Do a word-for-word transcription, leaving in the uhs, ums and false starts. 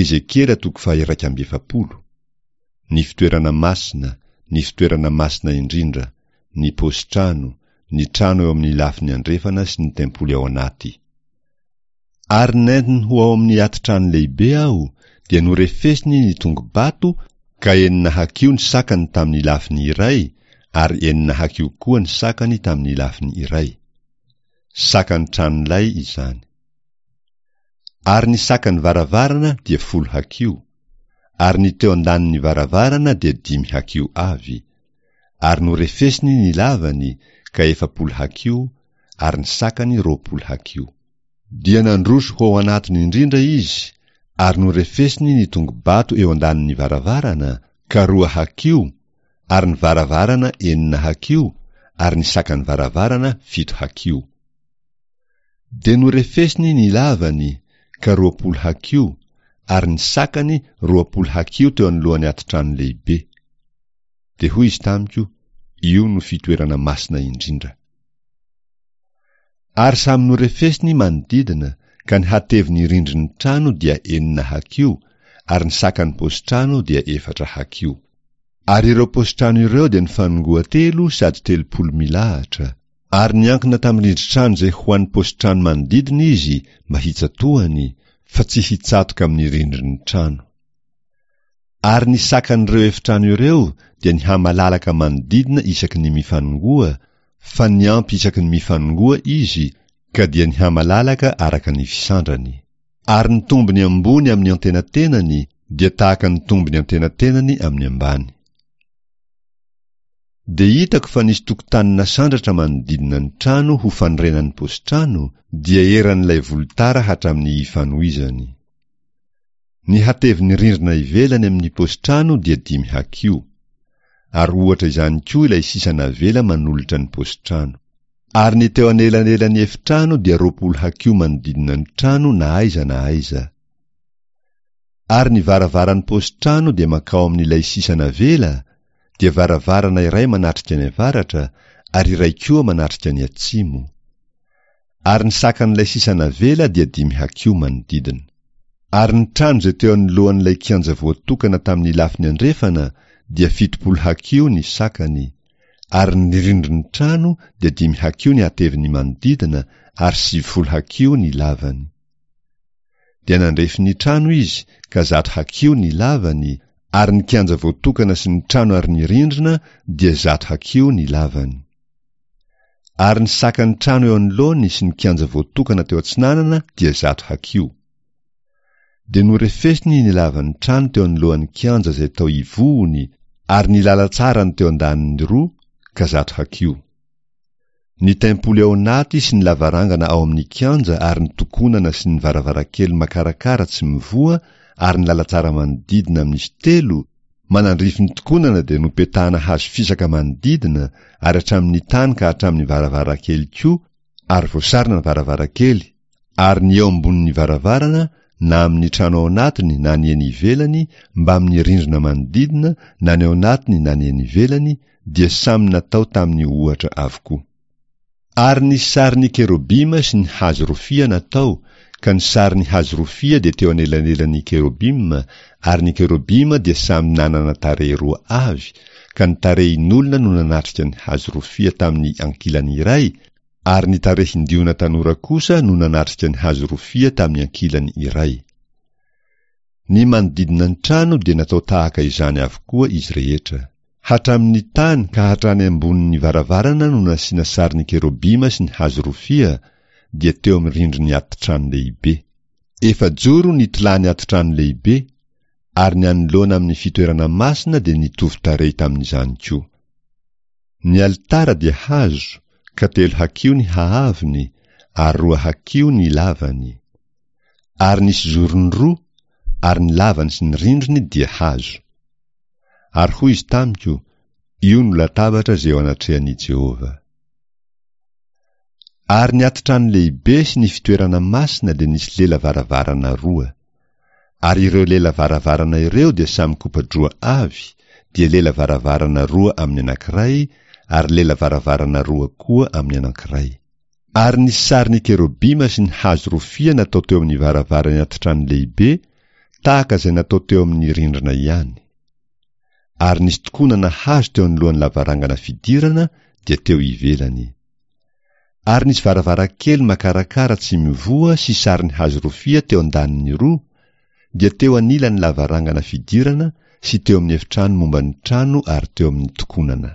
Ezekiela toko faha-iraika amby efapolo. Ny fitoerana masina, ny fitoerana masina indrindra, ny paosin-trano, ny trano eo amin'ny lafiny andrefana sy ny tempoly ao anaty. Ary nentiny ho ao amin'ny ati-trano lehibe aho, dia norefesiny ny tongo-bato ka enina hakiho ny sakany tamin'ny lafiny iray ary enina hakiho koa ny sakany tamin'ny lafiny iray. Sakan'ny tranolay izany. Ary ny sakan'ny varavarana dia folo hakiho, ary ny teo an-danin'ny varavarana dia dimy hakiho avy, ary norefesiny ny lavany ka efapolo hakiho, ary ny sakany roapolo hakiho. Dia nandroso ho ao anatiny indrindra izy, ary norefesiny ny tongo-bato eo an-danin'ny varavarana, ka roa hakiho, ary ny varavarana enina hakiho, ary ny sakan'ny varavarana fito hakiho. Dia norefesiny ny lavany, ka roapolo hakiho, ary ny sakany roapolo hakiho teo anoloan'ny ati-trano lehibe. Dia hoy izy tamiko, Io no fitoerana masina indrindra. Ary samy norefesiny manodidina, ka ny hatevin'ny rindrin'ny trano dia enina hakiho, ary ny sakan'ny paosin-trano dia efatra hakiho. Ary ireo paosin-trano ireo dia nifanongoa telo sady telopolo milahatra, ary niankina tamin'ny rindrin-trano izay ho an'ny paosin-trano manodidina izy mba hitsatohany, fa tsy hitsatoka amin'ny rindrin'ny trano. Ary ny sakan'ireo efitrano ireo dia nihamalalaka manodidina isaky ny mifanongoa, fa niampy isaky ny mifanongoa izy, ka dia nihamalalaka araka ny fisandrany. Ary ny tombony ambony amin'ny antenatenany dia tahaka ny tombony antenatenany amin'ny ambany. Dia hitako fa nisy tokotany nasandratra manodidina ny trano ho fanorenan'ny paosin-trano, dia eran'ilay volotara hatramin'ny ifanohizany. Ny hatevin'ny rindrina ivelany amin'ny paosin-trano dia dimy hakiho. Ary ohatra izany koa ilay sisa navela manolotra ny paosin-trano. Ary ny teo anelanelan'ny efitrano dia roapolo hakiho manodidina ny trano na aiza na aiza. Ary ny varavaran'ny paosin-trano dia mankao amin'ilay sisa navela, dia varavarana iray manatrika ny avaratra ary iray koa manatrika ny atsimo. Ary ny sakan'ilay sisa navela dia dimy hakiho manodidina. Ary ny trano izay teo anoloan'ilay kianja voatokana tamin'ny lafiny andrefana dia fitopolo hakiho ny sakany, ary ny rindrin'ny trano dia dimy hakiho ny hateviny manodidina ary sivifolo hakiho ny lavany. Dia nandrefy ny trano izy ka zato hakiho ny lavany, ary ny kianja voatokana sy ny trano ary ny rindrina dia zato hakiho ny lavany. Ary ny sakan'ny trano eo anoloany sy ny kianja voatokana teo atsinanana dia zato hakiho. Dia norefesiny ny lavan'ny trano teo anoloan'ny kianja izay tao ivohony ary ny lalantsarany teo an-daniny roa ka zato hakiho. Ny tempoly ao anaty sy ny lavarangana ao amin'ny kianja ary ny tokonana sy ny varavarankely makarakara tsy mivoha ary ny lalantsara manodidina amin'izy telo manandrify ny tokonana dia nopetahana hazo fisaka manodidina ary hatramin'ny tany ka hatramin'ny varavarankely koa ary voasarona ny varavarankely ary ny eo ambonin'ny varavarana na amin'ny trano ao anatiny na ny eny ivelany mbamin'ny rindrina manodidina na ny ao anatiny na ny eny ivelany dia samy natao tamin'ny ohatra avokoa. Ary ny sarin'ny kerobima sy ny hazo rofia natao, ka ny sarin'ny hazo rofia dia teo anelanelan'ny kerobima, ary ny kerobima dia samy nanana tarehy roa avy, ka ny tarehin'olona no nanatrika ny hazo rofia tamin'ny ankilany iray, ary ny tarehin-diona tanora kosa no nanatrika ny hazo rofia tamin'ny ankilany iray. Ny manodidina ny trano dia natao tahaka izany avokoa izy rehetra. Hatramin'ny tany ka hatrany ambonin'ny varavarana no nasiana sarin'ny kerobima sy ny hazo rofia, dia teo amin'ny rindrin'ny ati-trano lehibe. Efajoro ny tolàn'ny ati-trano lehibe, ary ny anoloana amin'ny fitoerana masina dia nitovy tarehy tamin'izany koa. Ny alitara dia hazo, ka telo hakiho ny haavony, ary roa hakiho ny lavany. Ary nisy zorony roa, ary ny lavany sy ny rindriny dia hazo. Ary hoy izy tamiko, Io no latabatra izay eo anatrehan'i Jehovah. Ary ny ati-trano lehibe sy ny fitoerana masina dia nisy lela varavarana roa. Ary ireo lela varavarana ireo dia samy kopa-droa avy, dia lela varavarana roa amin'ny anankiray, ary lela varavarana roa koa amin'ny anankiray. Ary ny sarin'ny kerobima sy ny hazo rofia natao teo amin'ny varavaran'ny ati-trano lehibe tahaka izay natao teo amin'ny rindrina ihany. Ary nisy tokonana hazo teo anoloan'ny lavarangana fidirana, dia teo ivelany. Ary nisy varavarankely makarakara tsy mivoha sy sariny hazo rofia teo an-daniny roa, dia teo anilan'ny lavarangana fidirana sy teo amin'ny efitrano momba ny trano ary teo amin'ny tokonana.